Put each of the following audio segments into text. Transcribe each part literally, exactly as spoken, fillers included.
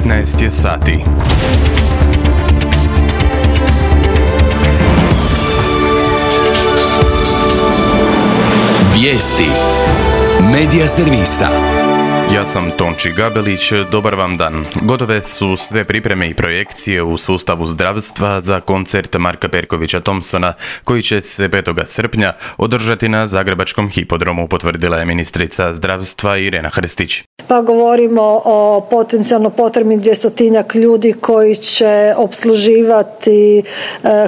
devetnaest je sati. Vijesti Medija servisa. Ja sam Tonči Gabelić, dobar vam dan. Gotove su sve pripreme i projekcije u sustavu zdravstva za koncert Marka Perkovića Thompsona, koji će se petog srpnja održati na Zagrebačkom hipodromu, potvrdila je ministrica zdravstva Irena Hrstić. Pa govorimo o potencijalno potrebnih dvjestotinjak ljudi koji će opsluživati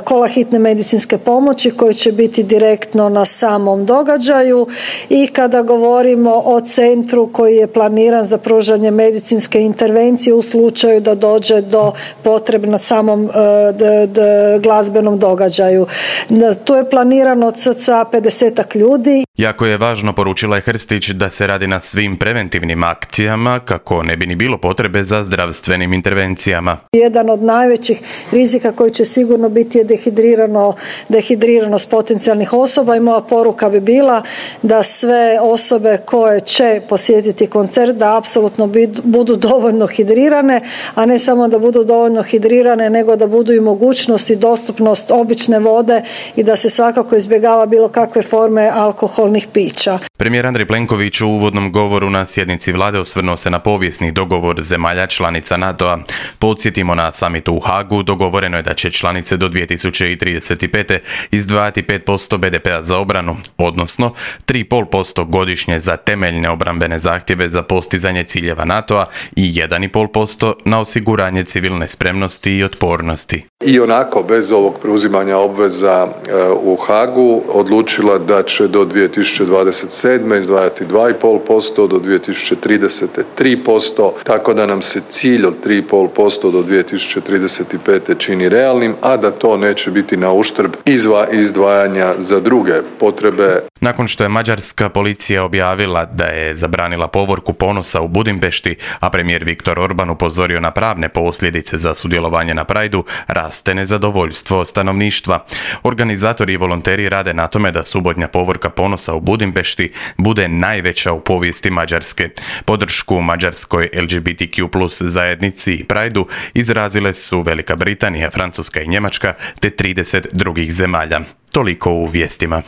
kola hitne medicinske pomoći, koji će biti direktno na samom događaju, i kada govorimo o centru koji je planiran za pružanje medicinske intervencije u slučaju da dođe do potrebe na samom d, d, glazbenom događaju. Tu je planirano od cca pedesetak ljudi. Jako je važno, poručila je Hrstić, da se radi na svim preventivnim akcijama kako ne bi ni bilo potrebe za zdravstvenim intervencijama. Jedan od najvećih rizika koji će sigurno biti je dehidrirano, dehidriranost potencijalnih osoba, i moja poruka bi bila da sve osobe koje će posjetiti koncert da apsolutno budu dovoljno hidrirane, a ne samo da budu dovoljno hidrirane, nego da budu i mogućnost i dostupnost obične vode i da se svakako izbjegava bilo kakve forme alkoholnih pića. Premijer Andrej Plenković u uvodnom govoru na sjednici vlade osvrnuo se na povijesni dogovor zemalja članica NATO-a. Podsjetimo, na samitu u Hagu dogovoreno je da će članice do dvije tisuće trideset pete. izdvajati pet posto be de pea za obranu, odnosno tri i pol posto godišnje za temeljne obrambene zahtjeve za postizanje ciljeva NATO-a i jedan i pol posto na osiguranje civilne spremnosti i otpornosti. I onako, bez ovog preuzimanja obveza u Hagu, odlučila da će do dvije tisuće dvadeset sedme izdvajati dva i pol posto, do dvije tisuće tridesete tri posto, tako da nam se cilj od tri i pol posto do dvije tisuće trideset pete čini realnim, a da to neće biti na uštrb izva izdvajanja za druge potrebe. Nakon što je mađarska policija objavila da je zabranila povorku ponosa u Budimpešti, a premijer Viktor Orban upozorio na pravne posljedice za sudjelovanje na Prideu, raste nezadovoljstvo stanovništva. Organizatori i volonteri rade na tome da subotnja povorka ponosa u Budimpešti bude najveća u povijesti Mađarske. Podršku mađarskoj el ge be te kju plus zajednici i Prideu izrazile su Velika Britanija, Francuska i Njemačka te trideset drugih zemalja. Toliko u vijestima.